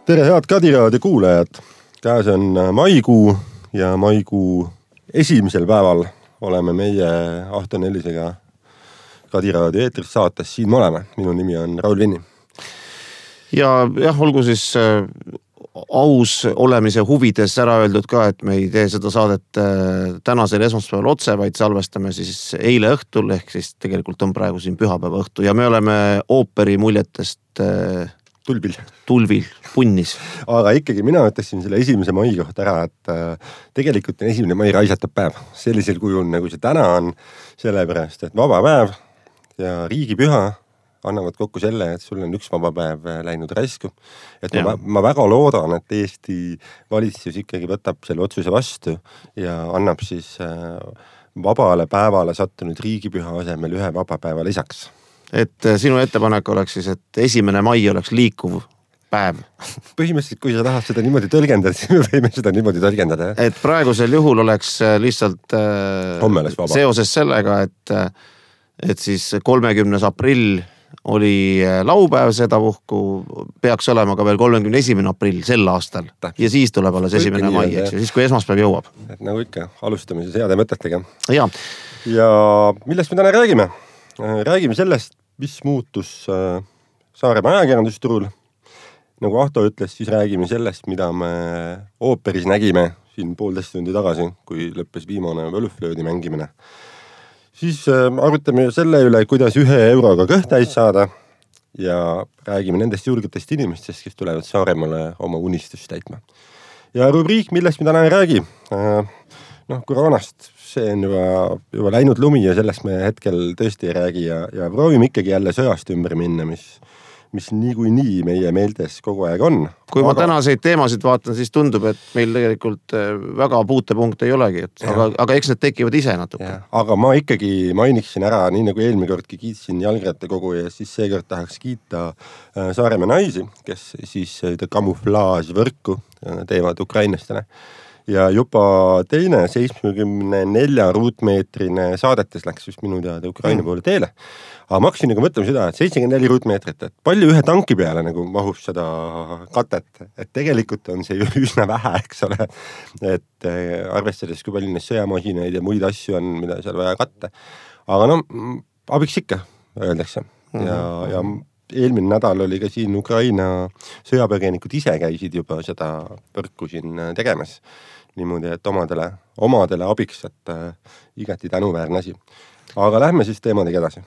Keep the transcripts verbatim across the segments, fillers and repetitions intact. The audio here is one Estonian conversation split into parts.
tere, head Kadiraadio kuulajad! Käes on maikuu ja maikuu esimesel päeval oleme meie Ahto Nellisega Kadiraadio eetris saates. Siin me oleme. Minu nimi on Raul Vinni. Ja jah, olgu siis äh, aus olemise huvides ära öeldud ka, et me ei tee seda saadet äh, tänasel esmaspäeval otse, vaid salvestame siis eile õhtul, ehk siis tegelikult on praegu siin pühapäeva õhtu ja me oleme ooperi muljetest äh, Tulbil. Tulvil, punnis. Aga ikkagi mina ütlesin selle esimese mai kohta ära, et äh, tegelikult on esimene mai raisatab päev. Sellisel kujul, nagu see täna on, sellepärast, et vaba päev ja riigipüha annavad kokku selle, et sul on üks vaba päev läinud raisku. Et ma, ma väga loodan, et Eesti valitsus ikkagi võtab selle otsuse vastu ja annab siis äh, vabale päevale sattunud riigipüha asemel ühe vaba päeva lisaks. Et sinu ettepanek oleks siis, et esimene mai oleks liikuv päev. Põhimõtteliselt, kui sa tahad seda niimoodi tõlgendada, siis me võime seda niimoodi tõlgendada. Et praegusel juhul oleks lihtsalt seoses sellega, et, et siis kolmekümnes aprill oli laupäev, seda puhku peaks olema ka veel kolmekümne esimene aprill sel aastal. Ja siis tuleb alles esimene mai, eks ju, siis kui esmaspäev jõuab. Et nagu ikka, alustame siis heade mõtetega. Ja, ja millest me täna räägime? Räägime sellest, mis muutus Saaremaa ajakirjandusturul. Nagu Ahto ütles, siis räägime sellest, mida me ooperis nägime siin poolteist tundi tagasi, kui lõppes viimane Völflöödi mängimine. Siis arutame selle üle, kuidas ühe euroga kõhtäis saada ja räägime nendest julgetest inimestest, kes tulevad Saaremaale oma unistust täitma. Ja rubriik, millest me täna ei räägi, noh, koroonast, see on juba, juba läinud lumi ja sellest me hetkel tõesti ei räägi ja, ja proovime ikkagi jälle sõjast ümber minna, mis, mis nii kui nii meie meeltes kogu aeg on. Kui aga... ma tänaseid teemasid vaatan, siis tundub, et meil tegelikult väga puutepunkt ei olegi, et, aga, aga eks need tekivad ise natuke. Aga ma ikkagi mainiksin ära, nii nagu eelmine kordki kiitsin jalgrattakogu ja siis seekord tahaks kiita Saaremaa naisi, kes siis kamuflaažvõrku teevad ukrainlastele. Ja juba teine seitsmekümne nelja ruutmeetrine saadetes läks just minu teada Ukraina poole teele. Aga ma hakkasin nagu mõtlema seda, et seitsekümmend neli ruutmeetrit, et palju ühe tanki peale nagu mahub seda katet. Et tegelikult on see üsna vähe, eks ole. Et arvestades, kui palju neid sõjamasinaid ja muid asju on, mida seal vaja katta. Aga no, abiks ikka, öeldakse. Ja, ja eelmine nädal oli ka siin Ukraina sõjapõgenikud ise käisid juba seda võrku siin tegemas. Niimoodi, et omadele, omadele abiks, et äh, igati tänuväärne asi. Aga lähme siis teemadega edasi.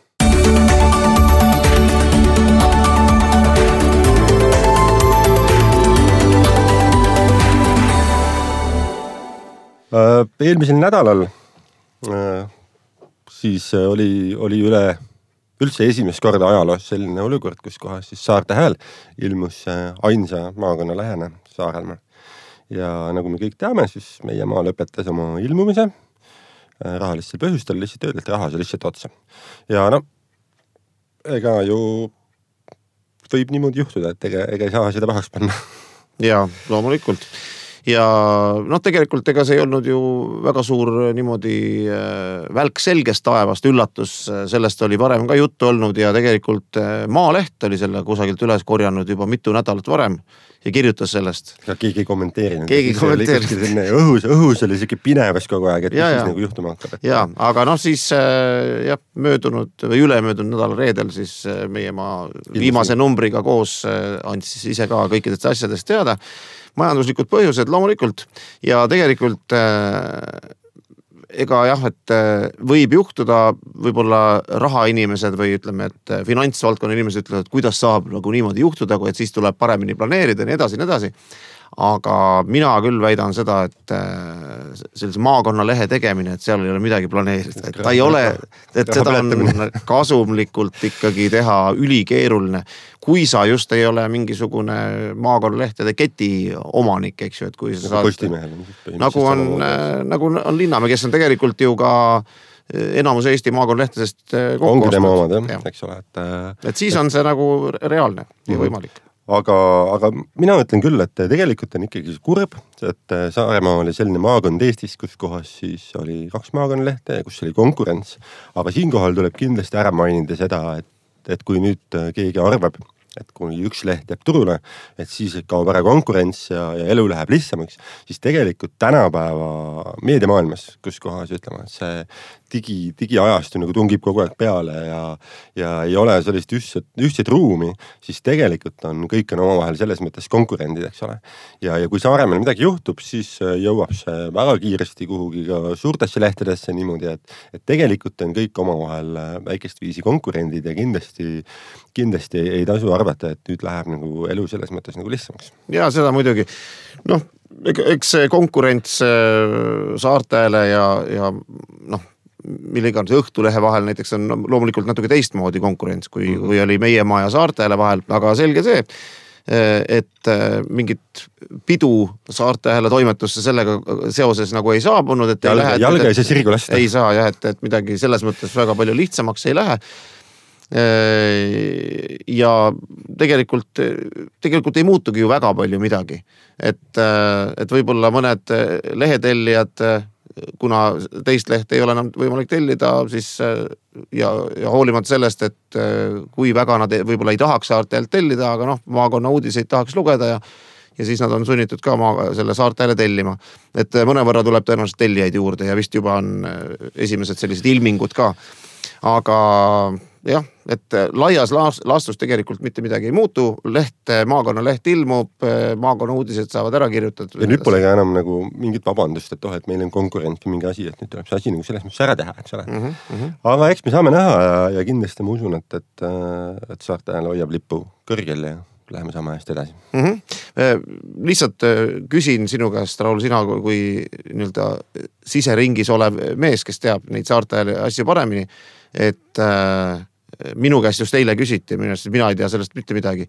Äh, eelmisel nädalal äh, siis oli, oli üle üldse esimest korda ajaloos selline olukord, kus kohas siis Saarte Hääl ilmus ainsa maakonna lähene Saarelmaa. Ja nagu me kõik teame, siis meie maa lõpetas oma ilmumise rahalistel põhjustel lihtsalt öelda, et raha see lihtsalt otsa. Ja no, ega ju võib niimoodi juhtuda, et ega, ega ei saa seda pahaks panna. Ja, loomulikult. Ja noh, tegelikult ega see ei olnud ju väga suur niimoodi välk selgest taevast üllatus, sellest oli varem ka juttu olnud ja tegelikult Maaleht oli selle kusagilt üles korjanud juba mitu nädalat varem ja kirjutas sellest. Ja keegi ei kommenteerinud. Keegi ei kommenteerinud. Õhus, õhus oli siuke pinevas kogu aeg, et ja, mis siis nagu juhtuma hakkab. Et... Ja, aga noh siis jah, möödunud või ülemöödunud nädal reedel siis meie maa viimase numbriga koos andis ise ka kõikidest asjadest teada. Majanduslikud põhjused loomulikult ja tegelikult äh, ega jah, et äh, võib juhtuda võib-olla rahainimesed või ütleme, et finantsvaldkonna inimesed ütlevad, et kuidas saab nagu niimoodi juhtuda, et siis tuleb paremini planeerida ja nii edasi, nii edasi. Aga mina küll väidan seda, et äh, sellise maakonna lehe tegemine, et seal ei ole midagi planeerida. Et ta ei ole, et seda on kasumlikult ikkagi teha ülikeeruline. Kui sa just ei ole mingisugune maakonnalehtede keti omanik, eks ju, et kui sa nagu saad, nagu on, nagu on Linnamäe, kes on tegelikult ju ka enamus Eesti maakonnalehtedest kokku ongi tema omad, jah, eks ole. Et, et siis on see nagu reaalne ja võimalik. Aga, aga mina ütlen küll, et tegelikult on ikkagi kurb, et Saaremaa oli selline maakond Eestis, kus kohas siis oli kaks maakonnalehte, kus oli konkurents. Aga siinkohal tuleb kindlasti ära mainida seda, et, et kui nüüd keegi arvab, et kui üks leht jääb turule, et siis kaob ära konkurents ja, ja elu läheb lihtsamaks, siis tegelikult tänapäeva meediamaailmas, kus kohas ütlema, et see digi, digiajastu nagu tungib kogu aeg peale ja, ja ei ole sellist ühtset, ühtset ruumi, siis tegelikult on kõik on omavahel selles mõttes konkurendid, eks ole. Ja, ja kui Saaremaal midagi juhtub, siis jõuab see väga kiiresti kuhugi ka suurtesse lehtedesse niimoodi, et, et tegelikult on kõik omavahel väikest viisi konkurendid ja kindlasti, kindlasti ei tasu arvata, et nüüd läheb nagu elu selles mõttes nagu lihtsamaks. Ja seda muidugi, noh, eks see konkurents Saartele ja, ja noh, millega on see Õhtulehe vahel näiteks on loomulikult natuke teistmoodi konkurents, kui, mm. kui oli meie maa ja Saartele vahel, aga selge see, et mingit pidu Saartele toimetusse sellega seoses nagu ei saabunud, et jalga, ei lähe, jalga ei saa sirgu lasta. Ei saa jah, et, et midagi selles mõttes väga palju lihtsamaks ei lähe. Ja tegelikult, tegelikult ei muutugi ju väga palju midagi, et, et võib-olla mõned lehetellijad, kuna teist lehte ei ole enam võimalik tellida, siis ja, ja hoolimata sellest, et kui väga nad võib-olla ei tahaks Saartelt tellida, aga noh, maakonna uudiseid tahaks lugeda ja, ja siis nad on sunnitud ka maa, selle Saartele tellima. Et mõnevõrra tuleb tõenäoliselt tellijaid juurde ja vist juba on esimesed sellised ilmingud ka. Aga jah, et laias laastus tegelikult mitte midagi ei muutu, leht, maakonna leht ilmub, maakonna uudised saavad ära kirjutatud. Ja nüüd pole ka enam nagu mingit vabandust, et oh, et meil on konkurent või mingi asi, et nüüd tuleb see asi nagu selles mõttes ära teha, eks ole. Mm -hmm. Aga eks me saame näha ja, ja kindlasti ma usun, et, et, et Saartele hoiab lippu kõrgel ja läheme sama hästi edasi. Mm -hmm. Lihtsalt küsin sinu käest, Raul, sina kui nii-öelda siseringis olev mees, kes teab neid Saartele asju paremini, et äh, minu käest just eile küsiti, mina ei tea sellest mitte midagi,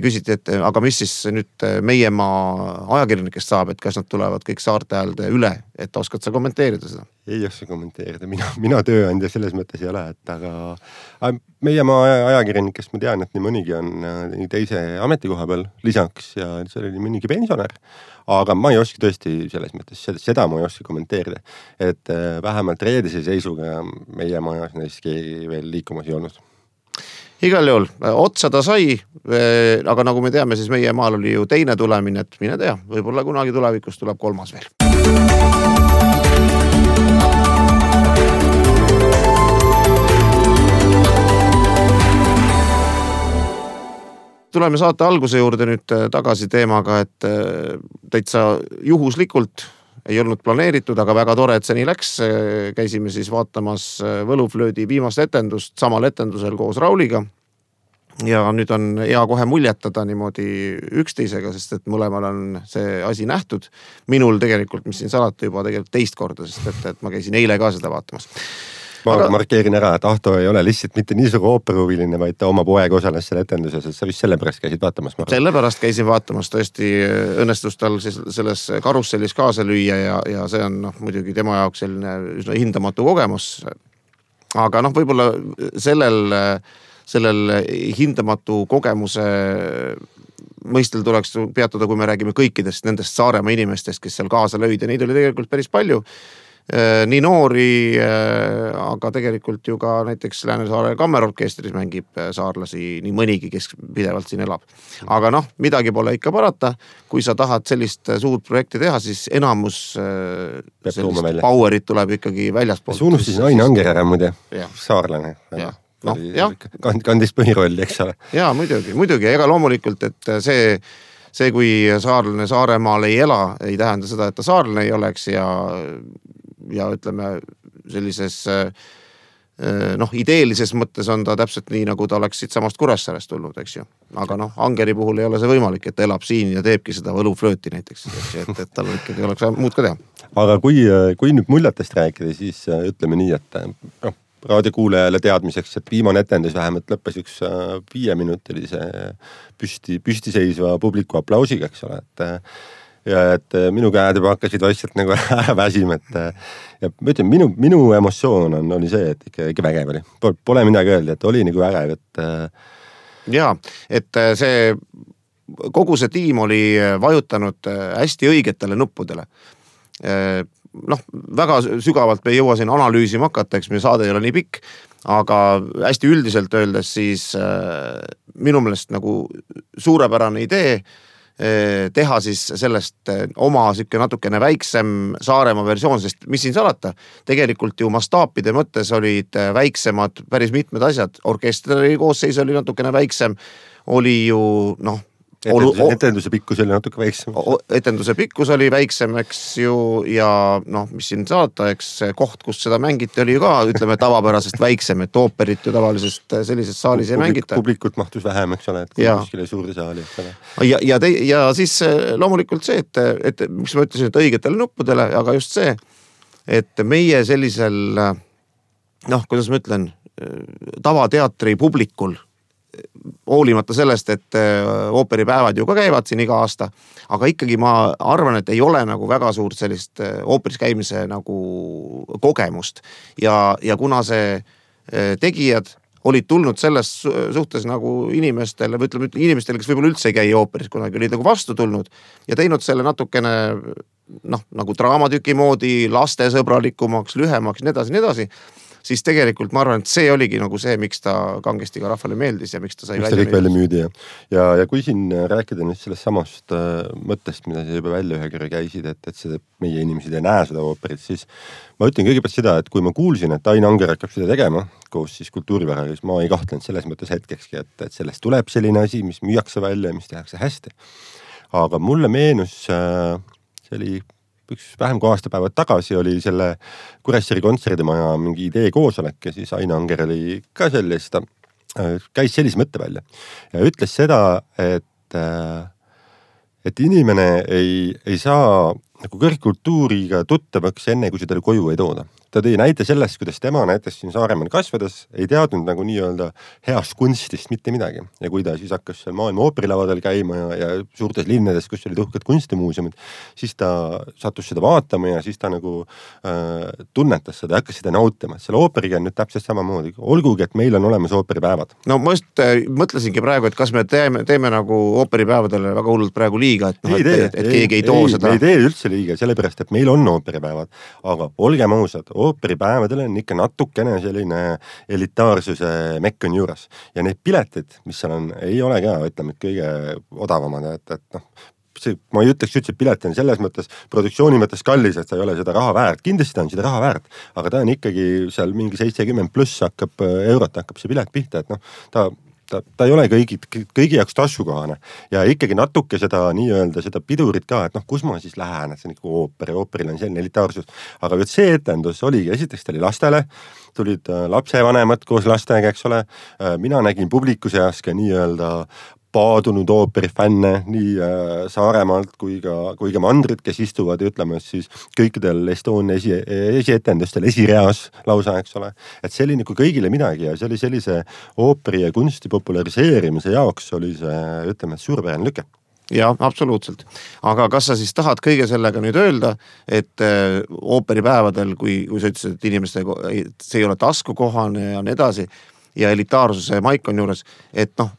küsiti, et aga mis siis nüüd meie maa ajakirjanikest saab, et kas nad tulevad kõik Saarteälde üle, et oskad sa kommenteerida seda? Ei oska kommenteerida, mina, mina tööandja selles mõttes ei ole, et aga meie maa ajakirjanikest ma tean, et nii mõnigi on nii teise ametikoha peal lisaks ja see oli mõnigi pensionär, aga ma ei oska tõesti selles mõttes, seda ma ei oska kommenteerida, et vähemalt reedise seisuga meie majas neist keegi veel liikumas ei olnud. Igal juhul, otsa ta sai, aga nagu me teame, siis meie maal oli ju teine tulemine, et mine tea, võib-olla kunagi tulevikus tuleb kolmas veel. Tuleme saate alguse juurde nüüd tagasi teemaga, et täitsa juhuslikult ei olnud planeeritud, aga väga tore, et see nii läks. Käisime siis vaatamas Võluflöödi viimast etendust samal etendusel koos Rauliga. Ja nüüd on hea kohe muljetada niimoodi üksteisega, sest et mõlemal on see asi nähtud. Minul tegelikult, mis siin salata juba tegelikult teist korda, sest et, et ma käisin eile ka seda vaatamas. Ma aga markeerin ära, et Ahto ei ole lihtsalt mitte nii suur ooperuhuviline, vaid ta oma poeg osales selle etenduses, et sa vist sellepärast käisid vaatamas. Sellepärast käisin vaatamas, tõesti õnnestus tal selles karussellis kaasa lüüa ja, ja see on no, muidugi tema jaoks selline üsna hindamatu kogemus. Aga noh, võib-olla sellel, sellel hindamatu kogemuse mõistel tuleks peatuda, kui me räägime kõikidest nendest Saaremaa inimestest, kes seal kaasa lõid ja neid oli tegelikult päris palju. Nii noori, aga tegelikult ju ka näiteks Lääne-Saare kammerorkestris mängib saarlasi nii mõnigi, kes pidevalt siin elab. Aga noh, midagi pole ikka parata. Kui sa tahad sellist suurt projekti teha, siis enamus sellist powerit tuleb ikkagi väljastpoolt. See unustasin Aine Anger ära muide, saarlane. No, kandis põhirolli, eks ole. Jaa, muidugi, muidugi. Ega loomulikult, et see, see kui saarlane Saaremaal ei ela, ei tähenda seda, et ta saarlane ei oleks ja ja ütleme sellises noh, ideelises mõttes on ta täpselt nii, nagu ta oleks siit samast Kuressaarest tulnud, eks ju. Aga noh, Angeri puhul ei ole see võimalik, et ta elab siin ja teebki seda Võluflööti näiteks, et, et tal ikkagi oleks muud ka teha. Aga kui, kui nüüd muljetest rääkida, siis ütleme nii, et noh, raadiokuulajale teadmiseks, et viimane etendus vähemalt lõppes üks viieminutilise püsti, püstiseisva publiku aplausiga, eks ole, et ja et minu käed juba hakkasid vaikselt nagu ära väsima, et ja ma ütlen, minu, minu emotsioon on, oli see, et ikka, ikka vägev oli. Pole midagi öelda, et oli nagu vägev, et jaa, et see kogu see tiim oli vajutanud hästi õigetele nuppudele. Noh, väga sügavalt me ei jõua siin analüüsima hakata, eks meie saade ei ole nii pikk, aga hästi üldiselt öeldes siis äh, minu meelest nagu suurepärane idee teha siis sellest oma siuke natukene väiksem Saaremaa versioon, sest mis siin salata, tegelikult ju mastaapide mõttes olid väiksemad päris mitmed asjad, orkestri koosseis oli natukene väiksem, oli ju noh, Etenduse, etenduse pikkus oli natuke väiksem. Etenduse pikkus oli väiksem, eks ju, ja noh, mis siin saata, eks koht, kus seda mängiti, oli ju ka, ütleme, tavapärasest väiksem, et ooperit ju tavalisest sellises saalis ei mängita. Publikut mahtus vähem, eks ole, et kuskile suurde saali, eks ole. Ja, ja, te, ja siis loomulikult see, et, et miks ma ütlesin, et õigetele nuppudele, aga just see, et meie sellisel, noh, kuidas ma ütlen, tavateatri publikul, hoolimata sellest, et ooperipäevad ju ka käivad siin iga aasta, aga ikkagi ma arvan, et ei ole nagu väga suurt sellist ooperis käimise nagu kogemust ja, ja kuna see tegijad olid tulnud selles suhtes nagu inimestele, või ütleme inimestele, kes võib-olla üldse ei käi ooperis, kunagi olid nagu vastu tulnud ja teinud selle natukene noh, nagu draamatüki moodi lastesõbralikumaks, lühemaks, nii edasi, nii edasi, siis tegelikult ma arvan, et see oligi nagu see, miks ta kangesti ka rahvale meeldis ja miks ta sai miks välja, ta välja müüdi. Ja, ja, ja kui siin rääkida nüüd sellest samast äh, mõttest, mida sa juba välja ühe kõrge käisid, et, et see, meie inimesed ei näe seda ooperit, siis ma ütlen kõigepealt seda, et kui ma kuulsin, et Ain Anger hakkab seda tegema koos siis kultuurivaraga, siis ma ei kahtlenud selles mõttes hetkekski, et, et sellest tuleb selline asi, mis müüakse välja ja mis tehakse hästi. Aga mulle meenus, äh, see oli üks vähem kui aastapäevad tagasi oli selle Kuressaare kontserdimaja mingi idee koosolek ja siis Ain Anger oli ka sellist, käis sellise mõtte välja ja ütles seda, et, et inimene ei, ei saa nagu kõrgkultuuriga tuttavaks enne, kui seda koju ei tooda. Ta tõi näite sellest, kuidas tema näiteks siin Saaremaal kasvades ei teadnud nagu nii-öelda heast kunstist mitte midagi. Ja kui ta siis hakkas seal maailma ooperilavadel käima ja, ja suurtes linnades, kus olid uhked kunstimuuseumid, siis ta sattus seda vaatama ja siis ta nagu äh, tunnetas seda ja hakkas seda nautima. Selle ooperiga on nüüd täpselt samamoodi. Olgugi, et meil on olemas ooperipäevad. No ma just äh, mõtlesingi praegu, et kas me teeme, teeme nagu ooperipäevadele väga hullult praegu liiga, et, noh, et, et, et keegi ei too ei, seda. Me ei tee üldse liiga, sellepärast, et meil on ooperipäevad. Aga olgem ausad, ooperipäevadel on ikka natukene selline elitaarsuse mekk on juures. Ja need piletid, mis seal on, ei ole ka, ütleme, et kõige odavamad, et, et noh, see, ma ei ütleks üldse, et pilet on selles mõttes, produktsiooni mõttes kallis, et sa ei ole seda raha väärt. Kindlasti on seda raha väärt, aga ta on ikkagi seal mingi seitsekümmend pluss hakkab eurot, hakkab see pilet pihta, et noh, ta Ta, ta ei ole kõigi, kõigi jaoks taskukohane ja ikkagi natuke seda nii-öelda seda pidurit ka, et noh, kus ma siis lähen, et see on ikka ooper ja ooperil on selline elitaarsus, aga see etendus oligi, esiteks ta oli lastele, tulid lapsevanemad koos lastega, eks ole, mina nägin publiku seas ka nii-öelda paadunud ooperifänne nii äh, Saaremaalt kui ka, kui ka mandrid, kes istuvad, ütleme siis kõikidel Estonia esi, esietendustel esireas lausa, eks ole. Et see oli nagu kõigile midagi ja see oli sellise ooperi ja kunsti populariseerimise jaoks oli see, ütleme, suurepärane lüke. Ja, absoluutselt. Aga kas sa siis tahad kõige sellega nüüd öelda, et äh, ooperipäevadel, kui, kui sa ütlesid, et inimestega see ei ole taskukohane ja nii edasi, ja elitaarsuse maik on juures, et noh,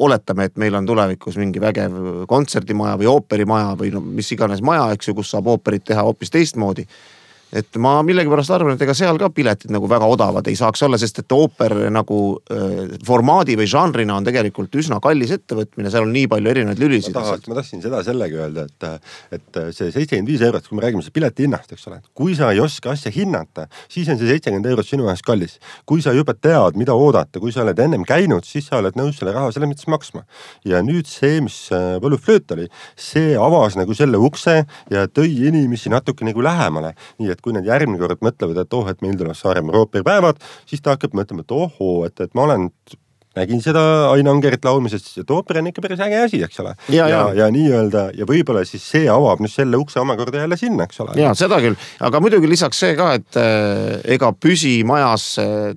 oletame, et meil on tulevikus mingi vägev kontserdimaja või ooperimaja või no, mis iganes maja, eks ju, kus saab ooperit teha hoopis teistmoodi. Et ma millegipärast arvan, et ega seal ka piletid nagu väga odavad ei saaks olla, sest et ooper nagu äh, formaadi või žanrina on tegelikult üsna kallis ettevõtmine, seal on nii palju erinevaid lülisid. Ma, tahaks, ma tahtsin seda sellega öelda, et, et see seitsekümmend viis eurot, kui me räägime see pileti hinnast, eks ole, kui sa ei oska asja hinnata, siis on see seitsekümmend eurot sinu ajast kallis. Kui sa juba tead, mida oodata, kui sa oled ennem käinud, siis sa oled nõus selle raha selle mõttes maksma. Ja nüüd see, mis Võluflööt oli, see avas nagu selle ukse ja tõi inimesi natuke nagu lähemale. Nii et kui nad järgmine kord mõtlevad, et oh, et meil tuleb Saaremaa ooperipäevad, siis ta hakkab mõtlema, et ohoo, et, et ma olen, nägin seda Ain Angerit laulmisest, et ooper on ikka päris äge asi, eks ole. Ja, ja, ja nii-öelda, ja võib-olla siis see avab nüüd selle ukse omakorda jälle sinna, eks ole. Ja, seda küll. Aga muidugi lisaks see ka, et äh, ega püsimajas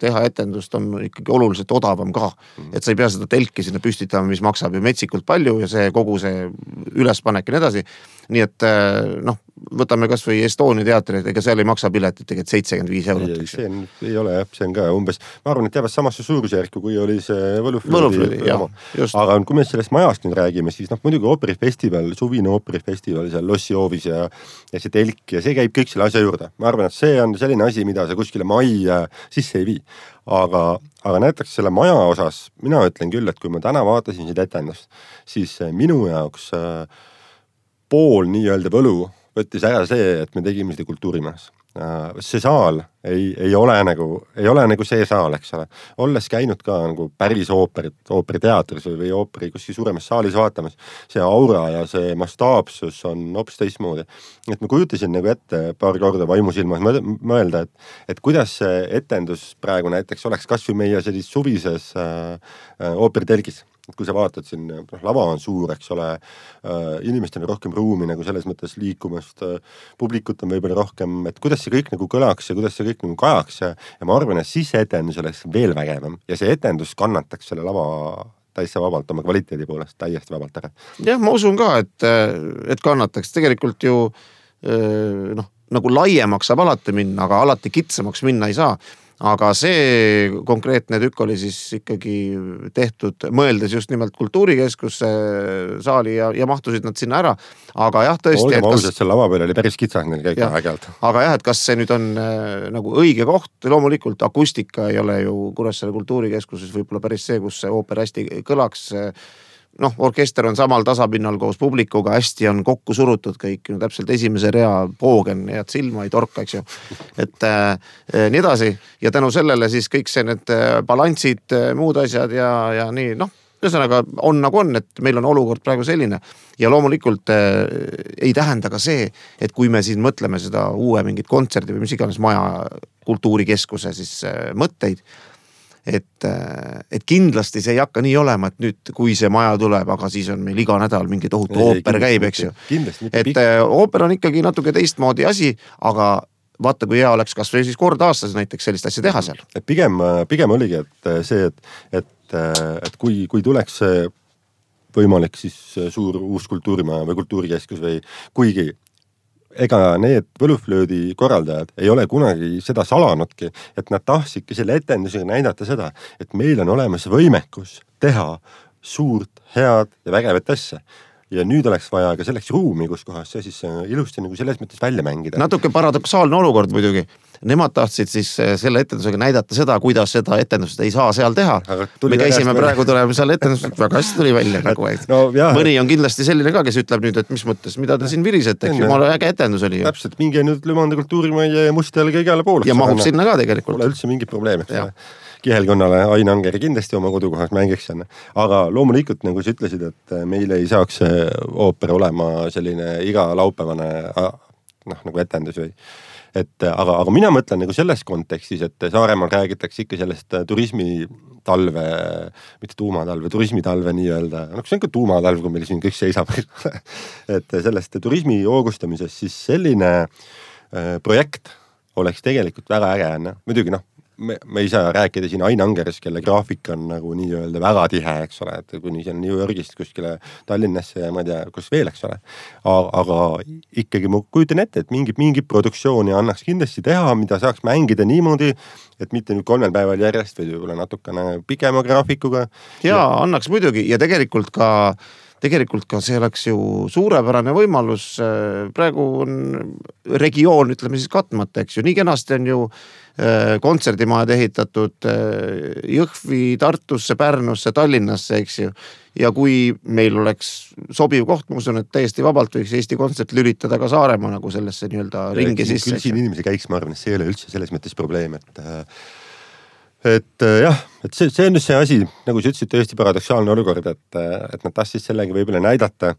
teha etendust on ikkagi oluliselt odavam ka. Mm. Et sa ei pea seda telki sinna püstitama, mis maksab ju metsikult palju ja see kogu see ülespanek ja nii edasi. nii et noh, võtame kas või Estonia teatrit, ega seal ei maksa piletit tegelikult seitsekümmend viis eurot. Ei, see on, ei ole jah, see on ka umbes, ma arvan, et jäävad samasse suurusjärku, kui oli see Võluflöödi. Aga kui me sellest majast nüüd räägime, siis noh, muidugi ooperifestival, suvine ooperifestival seal Lossi hoovis ja, ja see telk ja see käib kõik selle asja juurde. Ma arvan, et see on selline asi, mida sa kuskile majja sisse ei vii. Aga, aga näiteks selle maja osas, mina ütlen küll, et kui ma täna vaatasin seda etendust, siis minu jaoks pool nii-öelda võlu võttis ära see, et me tegime seda kultuurimajas. See saal ei, ei, ole nagu, ei ole nagu see saal, eks ole. Olles käinud ka nagu päris ooperit, ooperiteatris või ooperi kuskil suuremas saalis vaatamas, see aura ja see mastaapsus on hoopis teistmoodi. Et ma kujutasin nagu ette paar korda vaimusilmas mõelda, et, et kuidas see etendus praegu näiteks oleks kas või meie sellis suvises äh, ooperitelgis. Et kui sa vaatad siin, lava on suur, eks ole, inimestel on rohkem ruumi nagu selles mõttes liikumast, publikut on võib-olla rohkem, et kuidas see kõik nagu kõlaks ja kuidas see kõik nagu kajaks ja, ja ma arvan, et siis see etendus oleks veel vägevam ja see etendus kannataks selle lava täitsa vabalt oma kvaliteedi poolest täiesti vabalt ära. Jah, ma usun ka, et, et kannataks tegelikult ju noh, nagu laiemaks saab alati minna, aga alati kitsamaks minna ei saa. Aga see konkreetne tükk oli siis ikkagi tehtud, mõeldes just nimelt kultuurikeskusse saali ja, ja mahtusid nad sinna ära. Aga jah, tõesti... Olgem ausad, see lava peal oli päris kitsas neil kõik ägelt. Aga jah, et kas see nüüd on äh, nagu õige koht, loomulikult akustika ei ole ju Kuressaare kultuurikeskuses võib-olla päris see, kus see ooper hästi kõlaks. Noh, orkester on samal tasapinnal koos publikuga, hästi on kokku surutud kõik, no täpselt esimese rea poogen ja silma ei torka, eks ju. Et äh, nii edasi ja tänu sellele siis kõik see need balanssid, muud asjad ja, ja nii, noh, ühesõnaga on nagu on, et meil on olukord praegu selline ja loomulikult äh, ei tähenda ka see, et kui me siin mõtleme seda uue mingit kontserdi või mis iganes maja kultuurikeskuse siis äh, mõtteid, Et, et kindlasti see ei hakka nii olema, et nüüd kui see maja tuleb, aga siis on meil iga nädal mingi tohutu ooper käib, eks ju. Et ooper on ikkagi natuke teistmoodi asi, aga vaata, kui hea oleks kas või siis kord aastas näiteks sellist asja teha seal. Et pigem, pigem oligi, et see, et, et, et kui, kui tuleks võimalik siis suur uus kultuurimaja või kultuurikeskus või kuigi ega need Võluflöödi korraldajad ei ole kunagi seda salanudki, et nad tahtsidki selle etendusega näidata seda, et meil on olemas võimekus teha suurt, head ja vägevat asja. Ja nüüd oleks vaja ka selleks ruumi, kus kohas see siis ilusti nagu selles mõttes välja mängida. Natuke paradoksaalne olukord muidugi. Nemad tahtsid siis selle etendusega näidata seda, kuidas seda etendust ei saa seal teha. Me käisime praegu tulema seal etendust, väga hästi tuli välja. Nagu, no, mõni on kindlasti selline ka, kes ütleb nüüd, et mis mõttes, mida te siin virisete, eks jumala äge etendus oli. Täpselt, minge nüüd Lümanda kultuurimaja ja Mustelge igale pooleks. Ja mahub sinna ka tegelikult. Pole üldse mingi probleem, eks Kihelkonnale Ain Angeri kindlasti oma kodukohas mängiks sinna. Aga loomulikult, nagu sa ütlesid, et meil ei saaks ooper olema selline iga laupäevane noh, nagu etendus või et aga, aga mina mõtlen nagu selles kontekstis, et Saaremaal räägitakse ikka sellest turismi talve, mitte tuumatalve, turismitalve nii-öelda, no see on ka tuumatalv, kui meil siin kõik seisab et sellest turismi hoogustamisest siis selline äh, projekt oleks tegelikult väga äge, no? Muidugi noh, me, me ei saa rääkida siin Ain Angerist, kelle graafik on nagu nii-öelda väga tihe, eks ole, et kuni see on New Yorgist kuskile Tallinnasse ja ma ei tea, kus veel, eks ole. Aga ikkagi ma kujutan ette, et mingi, mingi produktsiooni annaks kindlasti teha, mida saaks mängida niimoodi, et mitte nüüd kolmel päeval järjest või võib-olla natukene pikema graafikuga. Ja, ja annaks muidugi ja tegelikult ka Tegelikult ka see oleks ju suurepärane võimalus, praegu on regioon, ütleme siis katmata, eks ju, nii kenasti on ju kontserdimajad ehitatud Jõhvi, Tartusse, Pärnusse, Tallinnasse, eks ju. Ja kui meil oleks sobiv koht, ma usun, et täiesti vabalt võiks Eesti kontsert lülitada ka Saaremaa nagu sellesse nii-öelda ringi sisse. Küll siin inimesi käiks, ma arvan, et see ei ole üldse selles mõttes probleem, et et jah, et see, see on just see asi, nagu sa ütlesid, tõesti paradoksaalne olukord, et, et nad tahtsid sellega võib-olla näidata,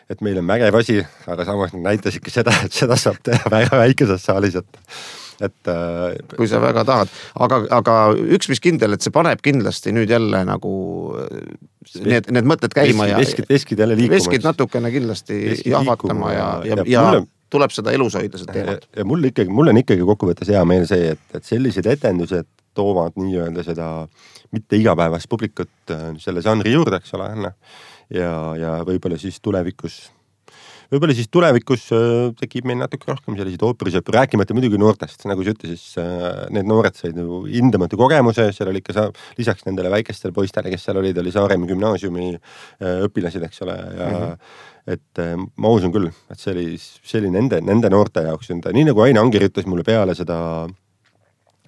et meil on vägev asi, aga samas nad näitasidki seda, et seda saab teha väga väikeses saalis, et, et kui sa väga tahad, aga, aga üks mis kindel, et see paneb kindlasti nüüd jälle nagu need, need mõtted käima veskid, ja veskid, veskid jälle liikuma. Veskid natukene kindlasti jahvatama ja, ja, ja, ja mulle, tuleb seda elus hoida seda teemat. Ja, ja mul ikkagi, mul on ikkagi kokkuvõttes hea meel see, et, et sellised etendused toovad nii-öelda seda mitte igapäevast publikut selle žanri juurde, eks ole, ja, ja võib-olla siis tulevikus võib-olla siis tulevikus tekib meil natuke rohkem selliseid ooperisõpru, rääkimata muidugi noortest, nagu sa ütlesid, siis need noored said nagu hindamatu kogemuse, seal oli ikka sa, lisaks nendele väikestele poistele, kes seal olid, oli Saaremaa gümnaasiumi õpilased, eks ole, ja mm-hmm. et ma usun küll, et see oli, see oli nende, nende noorte jaoks, nii nagu Aine Anger ütles mulle peale seda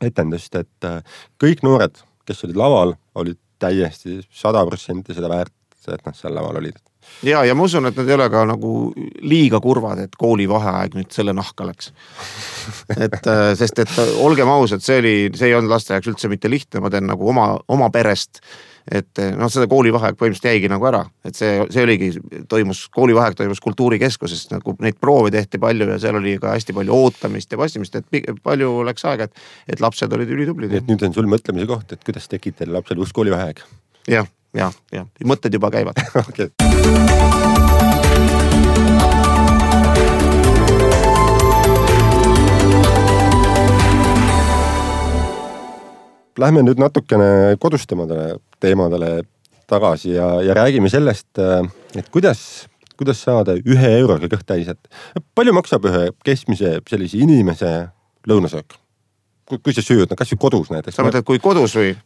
etendust, et kõik noored, kes olid laval, olid täiesti sada protsenti seda väärt, et nad seal laval olid. Ja, ja ma usun, et nad ei ole ka nagu liiga kurvad, et kooli vaheaeg nüüd selle nahka läks. et, sest et olgem ausad, see oli, see ei olnud laste jaoks üldse mitte lihtne, ma teen nagu oma, oma perest, et noh, seda koolivaheaeg põhimõtteliselt jäigi nagu ära, et see, see oligi, toimus, koolivaheaeg toimus kultuurikeskuses, nagu neid proove tehti palju ja seal oli ka hästi palju ootamist ja passimist, et palju läks aega, et, et lapsed olid ülitublid. Et nüüd on sul mõtlemise koht, et kuidas tekib teil lapsel uus koolivaheaeg? Jah, jah, jah, mõtted juba käivad. Okay. Lähme nüüd natukene kodustemadele teemadele tagasi ja, ja räägime sellest, et kuidas, kuidas saada ühe euroga kõht täis, et palju maksab ühe keskmise sellise inimese lõunasöök? Kui, kui sa sööd, no kas ju kodus näiteks? Sa mõtled, kui kodus või?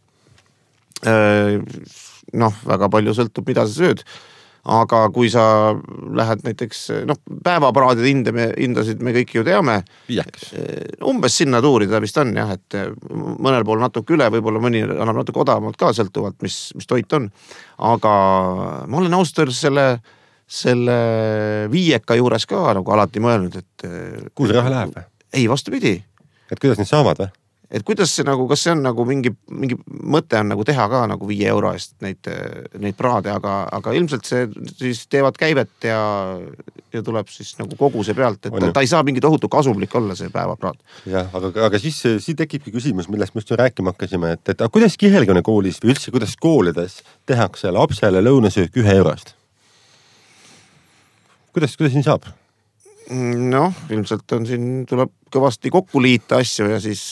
Noh, väga palju sõltub, mida sa sööd. Aga kui sa lähed näiteks, noh, päevapraadid hinde, me, hindasid me kõik ju teame. Viieks. Umbes sinna tuuri ta vist on, jah, et mõnel pool natuke üle, võib-olla mõni annab natuke odavamalt ka sõltuvalt, mis, mis toit on. Aga ma olen ausalt selle, selle viieka juures ka nagu alati mõelnud, et... Kuhu see raha läheb või? Ei, vastupidi. Et kuidas need saavad või? Et kuidas see nagu, kas see on nagu mingi, mingi mõte on nagu teha ka nagu viie euro eest neid, neid praade, aga, aga ilmselt see siis teevad käivet ja, ja tuleb siis nagu koguse pealt, et ta, ta ei saa mingi tohutu kasumlik olla see päevapraad. Jah, aga, aga siis, siis tekibki küsimus, millest me just rääkima hakkasime, et, et kuidas Kihelkonna koolis või üldse kuidas koolides tehakse lapsele lõunasöök ühe eurost? Kuidas, kuidas siin saab? Noh, ilmselt on siin, tuleb kõvasti kokku liita asju ja siis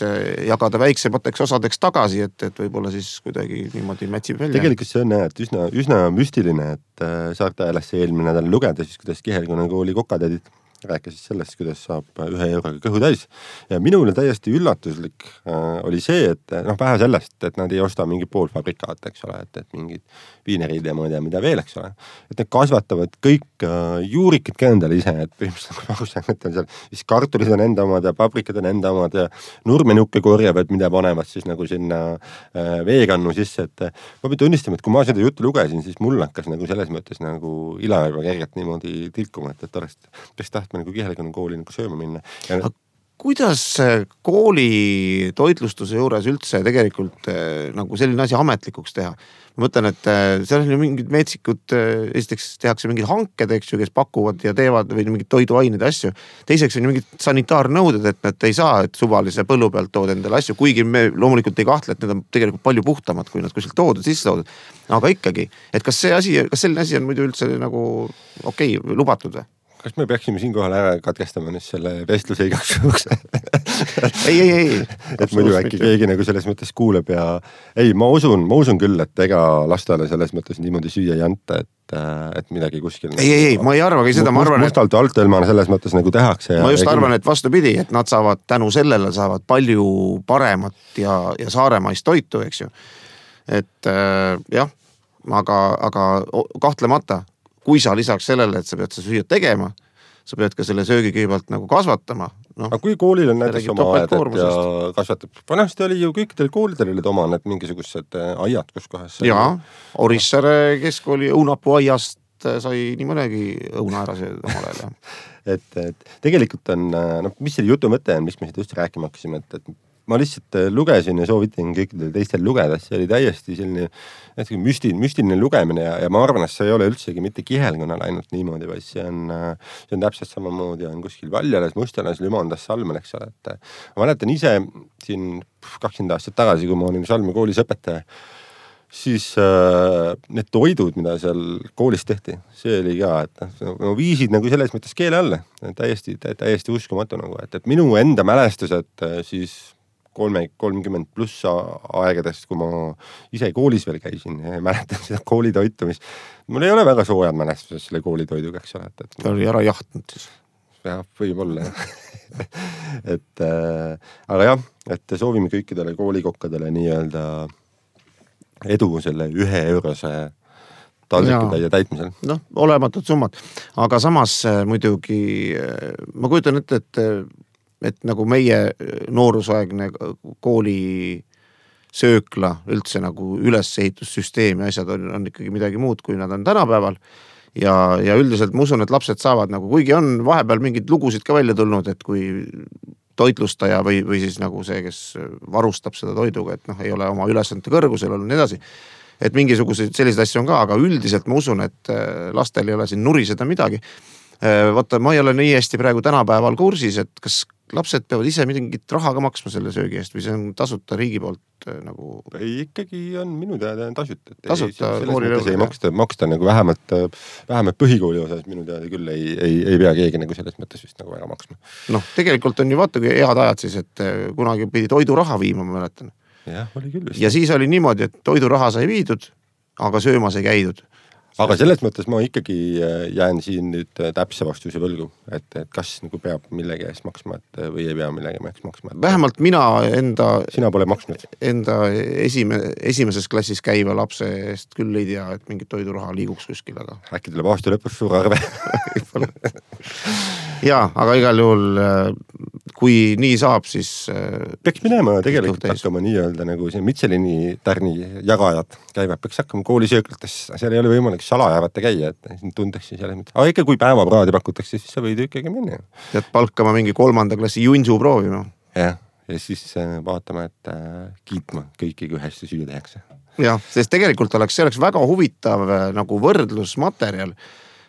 jagada väiksemateks osadeks tagasi, et, et võib-olla siis kuidagi niimoodi mätsib välja. Tegelikult see on et üsna, üsna müstiline, et Saarte Ajalasse eelmine nädal lugeda, siis kuidas Kihelkonna kooli kokatädid rääkisid sellest, kuidas saab ühe euroga kõhu täis. Ja minule täiesti üllatuslik äh, oli see, et noh, vähe sellest, et nad ei osta mingi poolfabrikaat, eks ole, et, et mingid viinerid ja ma ei tea, mida veel, eks ole. Et need kasvatavad kõik äh, juurikid ka endale ise, et põhimõtteliselt nagu ausalt, et on seal, siis kartulid on enda omad ja paprikad on enda omad ja nurmenukke korjavad, mida panevad siis nagu sinna äh, veekannu sisse, et äh, ma pean tunnistama, et kui ma seda juttu lugesin, siis mul hakkas nagu selles mõttes nagu ila juba kergelt niimoodi tilkuma, et, et oleks, oleks taht nagu Kihelkonna kooli nagu sööma minna. Ja... Kuidas kooli toitlustuse juures üldse tegelikult nagu selline asi ametlikuks teha? Ma mõtlen, et seal on ju mingid meetsikud, esiteks tehakse mingid hanked, eks ju, kes pakuvad ja teevad või mingid toiduained ja asju. Teiseks on ju mingid sanitaarnõuded, et nad ei saa, et suvalise põllu pealt tood endale asju, kuigi me loomulikult ei kahtle, et need on tegelikult palju puhtamad, kui nad kuskilt toodud, sisse toodud. Aga ikkagi, et kas see asi, kas selline asi on muidu üldse nagu okei, okay, lubatud või? Kas me peaksime siinkohal ära katkestama nüüd selle vestluse igaks juhuks? ei, ei, ei. Et muidu äkki keegi nagu selles mõttes kuuleb ja ei, ma usun, ma usun küll, et ega lastele selles mõttes niimoodi süüa ei anta, et, et midagi kuskil... Ei, ei, ei, ma ei arvagi seda, ma arvan, et... Mustalt altõlmana selles mõttes nagu tehakse. Ja, ma just ja arvan, et vastupidi, et nad saavad tänu sellele saavad palju paremat ja, ja saaremaist toitu, eks ju. Et äh, jah, aga, aga kahtlemata kui sa lisaks sellele, et sa pead sa süüa tegema, sa pead ka selle söögi kõigepealt nagu kasvatama. No, aga kui koolil on näiteks oma aed ja kasvatab, vanasti oli ju kõikidel koolidel olid oma need mingisugused aiad, kus kohas... Jaa, Orissaare keskkooli õunapuu aiast sai nii mõnegi õuna ära sööda omal ajal. et, et tegelikult on, no mis selle jutu mõte on, mis me seda just rääkima hakkasime, et, et ma lihtsalt lugesin ja soovitin kõikidel teistel lugeda, see oli täiesti selline müstiline, müstiline lugemine ja, ja ma arvan, et see ei ole üldsegi mitte Kihelkonnal ainult niimoodi, vaid see on, see on täpselt samamoodi on kuskil Valjalas, Mustalas, Lümandas, Salmel, eks ole, et ma mäletan ise siin kakskümmend aastat tagasi, kui ma olin Salme koolis õpetaja, siis äh, need toidud, mida seal koolis tehti, see oli ka, et no, viisid nagu selles mõttes keele alla, täiesti, täiesti uskumatu nagu, et, et minu enda mälestused siis kolme, kolmkümmend pluss aegadest, kui ma ise koolis veel käisin ja mäletan seda koolitoitu, mis mul ei ole väga soojad mälestuses selle koolitoiduga, eks ole. Et, ta oli ära jahtnud siis. Jah, võib-olla. et äh, aga jah, et soovime kõikidele koolikokkadele nii-öelda edu selle ühe eurose taldrikutäie täitmisel. Noh, olematud summad. Aga samas muidugi, ma kujutan ette, et, et nagu meie noorusaegne kooli söökla üldse nagu üleseehitussüsteem ja asjad on, on ikkagi midagi muud, kui nad on tänapäeval. Ja, ja üldiselt ma usun, et lapsed saavad nagu, kuigi on vahepeal mingid lugusid ka välja tulnud, et kui toitlustaja või, või siis nagu see, kes varustab seda toiduga, et noh, ei ole oma ülesannete kõrgusel olnud nii edasi. Et mingisuguseid selliseid asju on ka, aga üldiselt ma usun, et lastel ei ole siin nuriseda midagi. Vaata, ma ei ole nii hästi praegu tänapäeval kursis, et kas lapsed peavad ise mingit raha ka maksma selle söögi eest või see on tasuta riigi poolt nagu... Ei, ikkagi on minu teada tasuta. Tasuta kooli lõuga. Ei maksta, maksta nagu vähemalt, vähemalt põhikooli osas minu teada küll ei, ei, ei pea keegi nagu selles mõttes vist nagu väga maksma. Noh, tegelikult on ju vaata, kui head ajad siis, et kunagi pidi toiduraha viima, ma mäletan. Jah, oli küll vist. Ja siis oli niimoodi, et toiduraha sai viidud, aga söömas ei käidud. Aga selles mõttes ma ikkagi jään siin nüüd täpse vastuse võlgu, et, et kas nagu peab millegi eest maksma et, või ei pea millegi eest maksma. Et... Vähemalt mina enda, Sina pole maksnud. Enda esime, esimeses klassis käiva lapse eest küll ei tea, et mingit toiduraha liiguks kuskil. Aga... Äkki tuleb aasta lõpus suur arve. Jaa, aga igal juhul, kui nii saab, siis... Peaks minema tegelikult hakkama nii-öelda nagu see Michelini tärni jagajad käivad, peaks hakkama koolisööklates, seal ei ole võimalik salajäävate käia, et tundeks siis jälle mitte. Aga ikka kui päevapraadi pakutakse, siis sa võid ikkagi minna. Tead palkama mingi kolmanda klassi junsu proovima. Jah, ja siis vaatame, et kiitma kõiki, kui hästi süü tehakse. Jah, sest tegelikult oleks, see oleks väga huvitav nagu võrdlusmaterjal.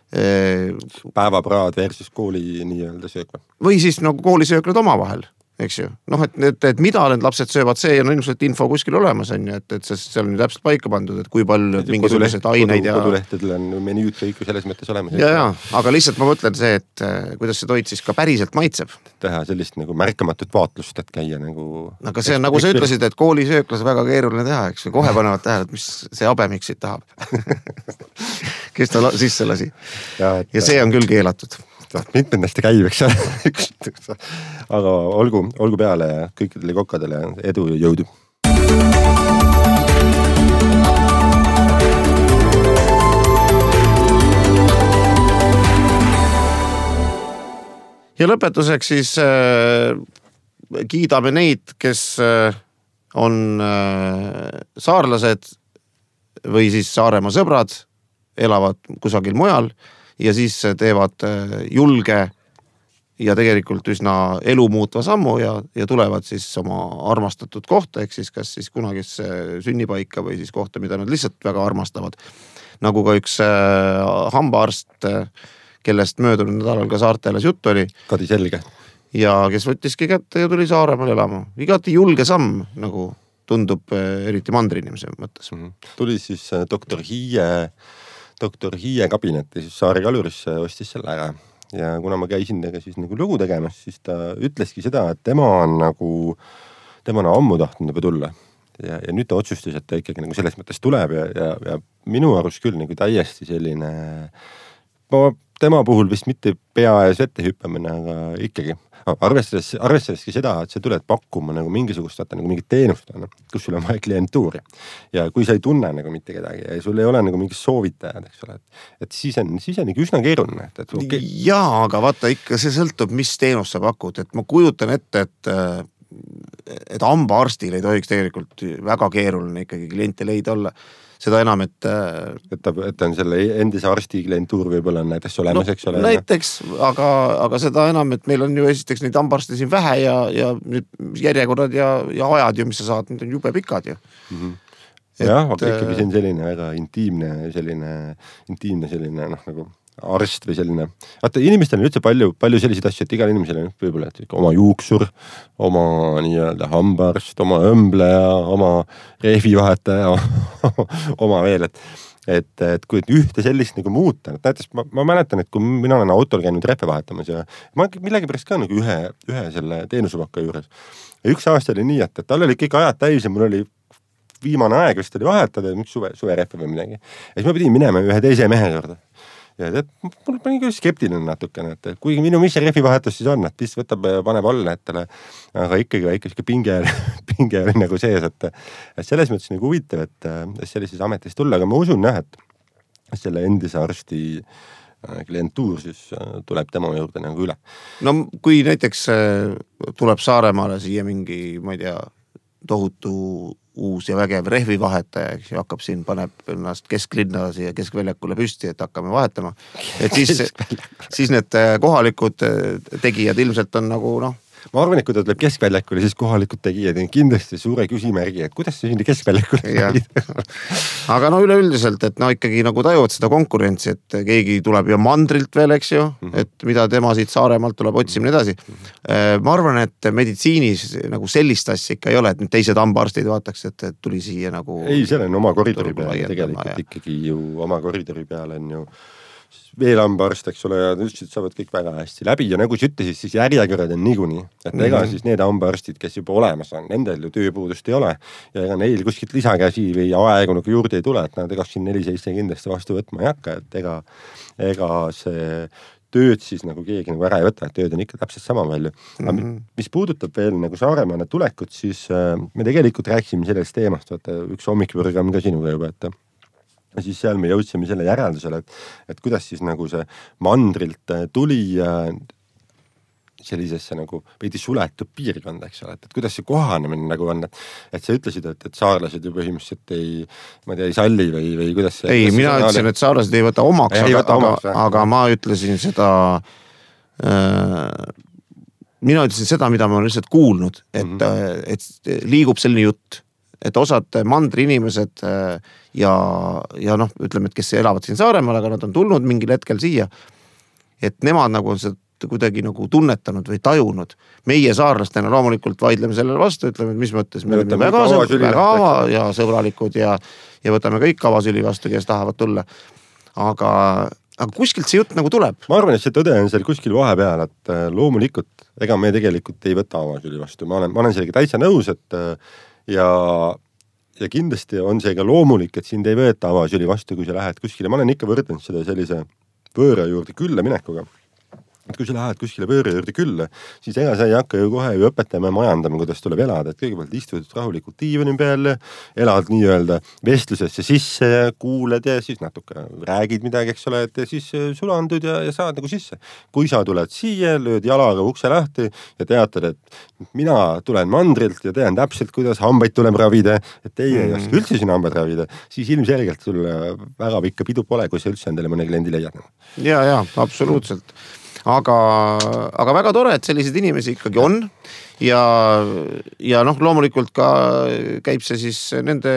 Päevapraad versus kooli nii-öelda söökla. Või siis nagu koolisööklad oma vahel, eks ju. Noh, et, et, et mida need lapsed söövad, see on ilmselt info kuskil olemas, on ju, et, et seal on ju täpselt paika pandud, et kui palju mingisugused aineid ja... Kodulehtedel on menüüd kõik selles mõttes olemas. Ja, ja, aga lihtsalt ma mõtlen see, et kuidas see toit siis ka päriselt maitseb. Teha sellist nagu märkamatut vaatlust, et käia nagu... Aga see on nagu sa ütlesid, et koolisööklas väga keeruline teha, eks ju. Kohe panevad tähele, et mis see abemiksid tahab. Kes ta sisse lasi. Ja, et... ja see on küll keelatud. Mitmendast käib, eks aga olgu, olgu peale kõikidele kokkadele edu ja jõudu. Ja lõpetuseks siis äh, kiidame neid, kes äh, on äh, saarlased või siis Saaremaa sõbrad, elavad kusagil mujal ja siis teevad julge ja tegelikult üsna elu muutva sammu ja, ja tulevad siis oma armastatud kohta, ehk siis kas siis kunagisse sünnipaika või siis kohta, mida nad lihtsalt väga armastavad. Nagu ka üks äh, hambaarst, kellest möödunud nädalal ka Saarteles jutt oli. Kadi Selge. Ja kes võttiski kätte ja tuli Saaremaal elama. Igati julge samm, nagu tundub eriti mandriinimese mõttes. Mm-hmm. Tuli siis doktor Hiie doktor Hiie kabinetti, siis Saari Kalurisse ostis selle ära. Ja kuna ma käisin tega siis nagu lugu tegemas, siis ta ütleski seda, et tema on nagu, tema on ammu tahtnud juba tulla. Ja, ja nüüd ta otsustas, et ta ikkagi nagu selles mõttes tuleb ja, ja, ja minu arust küll nagu täiesti selline, ma tema puhul vist mitte pea ees ette hüppamine, aga ikkagi arvestades, arvestadaski seda, et sa tuled pakkuma nagu mingisugust, vaata, nagu mingit teenust, kus sul on vaja klientuuri. Ja kui sa ei tunne nagu mitte kedagi ja sul ei ole nagu mingid soovitajad, eks ole, et, et siis on, siis on nagu üsna keeruline. Et, et okay. Jaa, aga vaata ikka see sõltub, mis teenust sa pakud, et ma kujutan ette, et et hambaarstil ei tohiks tegelikult väga keeruline ikkagi kliente leida olla. Seda enam, et... Et ta, et on selle endise arsti klientuur võib-olla on näiteks olemas, no, eks ole? Näiteks, aga, aga seda enam, et meil on ju esiteks neid hambaarste siin vähe ja, ja nüüd järjekorrad ja, ja ajad ju, mis sa saad, need on jube pikad ju. Mm-hmm. Jah, aga ikkagi see on selline väga intiimne, selline, intiimne selline, noh, nagu arst või selline. Vaata, inimestel on üldse palju, palju selliseid asju, et igal inimesel on võib-olla oma juuksur, oma nii-öelda hambaarst, oma õmbleja, oma rehvivahetaja, oma veel, et, et, et kui ühte sellist nagu muuta, et näiteks ma, ma mäletan, et kui mina olen autol käinud rehve vahetamas ja ma millegi pärast ka nagu ühe, ühe selle teenusepakka juures, ja üks aasta oli nii, et, et tal oli kõik ajad täis ja mul oli viimane aeg vist oli vahetada, üks suve, suverehve või midagi. Ja siis ma pidin minema ühe teise mehe juurde. Ja tead, mul pani küll skeptiline natukene, et kuigi minu mis see rehvi vahetus siis on, et vist võtab, paneb alla ettele, aga ikkagi väike siuke pinge, pinge oli nagu sees, et, et selles mõttes nagu huvitav, et, et sellises ametis tulla, aga ma usun jah, et selle endise arsti klientuur siis tuleb tema juurde nagu üle. No kui näiteks tuleb Saaremaale siia mingi, ma ei tea, tohutu uus ja vägev rehvivahetaja, eks ju, hakkab siin, paneb ennast kesklinna siia keskväljakule püsti, et hakkame vahetama. Et siis, siis need kohalikud tegijad ilmselt on nagu, noh, ma arvan, et kui ta tuleb keskväljakule, siis kohalikud tegijad on kindlasti suure küsimärgi, et kuidas see sinna keskväljakule tegid. Aga no üleüldiselt, et no ikkagi nagu tajuvad seda konkurentsi, et keegi tuleb ju mandrilt veel, eks ju, mm -hmm. et mida tema siit Saaremaalt tuleb otsima nii edasi. Mm -hmm. Ma arvan, et meditsiinis nagu sellist asja ikka ei ole, et nüüd teised hambaarstid vaataks, et tuli siia nagu... Ei, seal on oma koridori peale tegelikult ja. Ikkagi ju oma koridori peale on ju veel hambaarst, eks ole, ja ütlesid, saavad kõik väga hästi läbi ja nagu sa ütlesid, siis järjekõrred on niikuinii. Et mm -hmm. ega siis need hambaarstid, kes juba olemas on, nendel ju tööpuudust ei ole ja ega neil kuskilt lisakäsi või aegu nagu juurde ei tule, et nad kakskümmend neli seitse kindlasti vastu võtma ei hakka, et ega, ega see tööd siis nagu keegi nagu ära ei võta, et tööd on ikka täpselt sama palju. Aga mm -hmm. mis puudutab veel nagu Saaremaale tulekut, siis me tegelikult rääkisime sellest teemast, vaata üks hommikpürgam ka sinuga juba, et ja siis seal me jõudsime selle järeldusele, et, et kuidas siis nagu see mandrilt tuli sellisesse nagu veidi suletud piirkonda, eks ole, et, et kuidas see kohanemine nagu on, et, et sa ütlesid, et, et saarlased ju põhimõtteliselt ei, ma ei tea, ei salli või, või kuidas see... Ei, kuidas mina ütlesin, et saarlased ei võta omaks, ei, aga, võta omaks aga, aga ma ütlesin seda... Äh, mina ütlesin seda, mida ma olen lihtsalt kuulnud, et, mm -hmm. et liigub selline jutt, et osad mandri inimesed ja, ja noh, ütleme, et kes elavad siin Saaremaal, aga nad on tulnud mingil hetkel siia, et nemad nagu on seda kuidagi nagu tunnetanud või tajunud. Meie saarlastena loomulikult vaidleme sellele vastu, ütleme, et mis mõttes me oleme väga, väga ava ja sõbralikud ja, ja võtame kõik avasüli vastu, kes tahavad tulla. Aga, aga kuskilt see jutt nagu tuleb. Ma arvan, et see tõde on seal kuskil vahepeal, et loomulikult, ega me tegelikult ei võta avasüli vastu. Ma olen, ma olen sellega täitsa nõus, et ja, ja kindlasti on see ka loomulik, et sind ei võeta avasüli vastu, kui sa lähed kuskile. Ma olen ikka võrdnud seda sellise võõra juurde külla minekuga. Et kui sa lähed kuskile võõra juurde külla, siis ega sa ei hakka ju kohe ju õpetama ja majandama, kuidas tuleb elada. Et kõigepealt istud rahulikult diivani peal, elad nii-öelda vestlusesse sisse ja kuuled ja siis natuke räägid midagi, eks ole, et siis sulandud ja, ja saad nagu sisse. Kui sa tuled siia, lööd jalaga ukse lahti ja teatad, et mina tulen mandrilt ja tean täpselt, kuidas hambaid tuleb ravida, et teie ei oska üldse sinna hambaid ravida, siis ilmselgelt sul väga pikka pidu pole, kui sa üldse endale mõne kliendi leiad. Ja, ja, absoluutselt. Aga, aga väga tore, et sellised inimesi ikkagi on ja, ja noh, loomulikult ka käib see siis nende,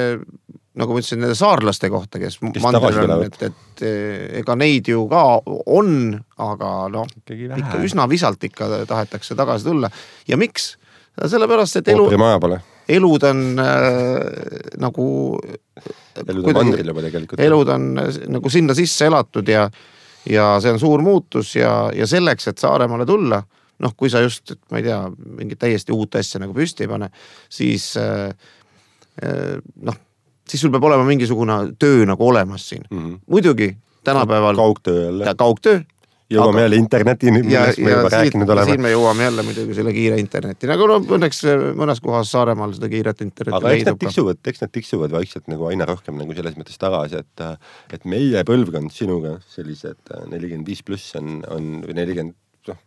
nagu ma ütlesin, nende saarlaste kohta, kes, kes mandril on, et, et ega neid ju ka on, aga noh, ikka üsna visalt ikka tahetakse tagasi tulla. Ja miks? Sellepärast, et elu, elud on äh, nagu elud on mandril juba tegelikult. Elud on nagu sinna sisse elatud ja ja see on suur muutus ja, ja selleks, et Saaremaale tulla, noh, kui sa just, ma ei tea, mingit täiesti uut asja nagu püsti ei pane, siis äh, noh, siis sul peab olema mingisugune töö nagu olemas siin. Mm -hmm. Muidugi tänapäeval kaugtöö jälle. Kaugtöö. Jõuame jälle internetini, millest me juba rääkinud oleme. Siin me jõuame jälle muidugi selle kiire interneti. Nagu no, õnneks mõnes kohas Saaremaal seda kiiret internetti aga leidub. Aga eks need tiksuvad, eks need tiksuvad vaikselt nagu aina rohkem nagu selles mõttes tagasi, et, et meie põlvkond sinuga sellised nelikümmend viis pluss on, on või nelikümmend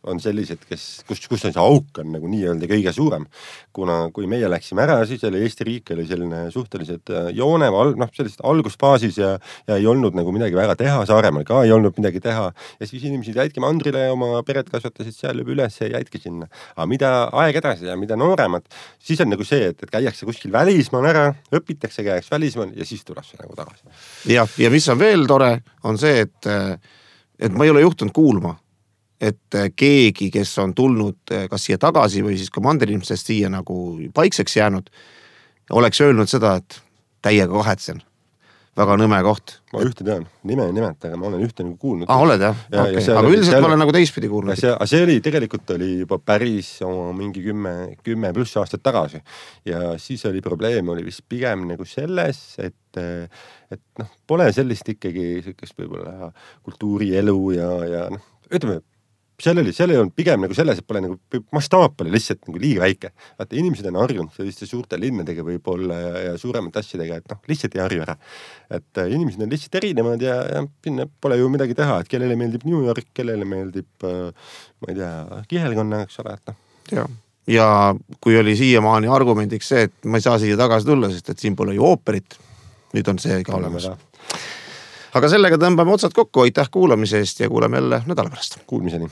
on sellised, kes, kus, kus on see auk on nagu nii öelda kõige suurem. Kuna kui meie läksime ära, siis oli Eesti riik oli selline suhteliselt joone, noh, sellist algusfaasis ja, ja ei olnud nagu midagi väga teha, Saaremaal ka ei olnud midagi teha. Ja siis inimesed jäidki mandrile ja oma pered kasvatasid seal juba üles ja jäidki sinna. Aga mida aeg edasi ja mida nooremad, siis on nagu see, et, et käiakse kuskil välismaal ära, õpitakse käiaks välismaal ja siis tuleb see nagu tagasi. Ja, ja mis on veel tore, on see, et, et ma ei ole juhtunud kuulma, et keegi, kes on tulnud kas siia tagasi või siis ka mandriinimestest siia nagu paikseks jäänud, oleks öelnud seda, et täiega kahetsen. väga nõme koht. Ma ühte tean, nime ei nimeta, aga ma olen ühte nagu kuulnud. Ah, oled jah? Ja, okay. Aga üldiselt seal... ma olen nagu teistpidi kuulnud. See, see oli, tegelikult oli juba päris oma mingi kümme, kümme pluss aastat tagasi. Ja siis oli probleem, oli vist pigem nagu selles, et, et noh, pole sellist ikkagi sellist võib-olla kultuurielu ja, ja noh, ütleme, seal oli, seal ei olnud pigem nagu selles, et pole nagu mastaap oli lihtsalt nagu liiga väike. Vaata, inimesed on harjunud selliste suurte linnadega võib-olla ja, ja suuremate asjadega, et noh, lihtsalt ei harju ära. Et äh, inimesed on lihtsalt erinevad ja, ja pinne pole ju midagi teha, et kellele meeldib New York, kellele meeldib, äh, ma ei tea, kihelkonna, eks ole, et noh. Ja. ja kui oli siiamaani argumendiks see, et ma ei saa siia tagasi tulla, sest et siin pole ju ooperit, nüüd on see ka olemas. Aga sellega tõmbame otsad kokku, aitäh kuulamise eest ja kuuleme jälle nädala pärast. Kuulmiseni.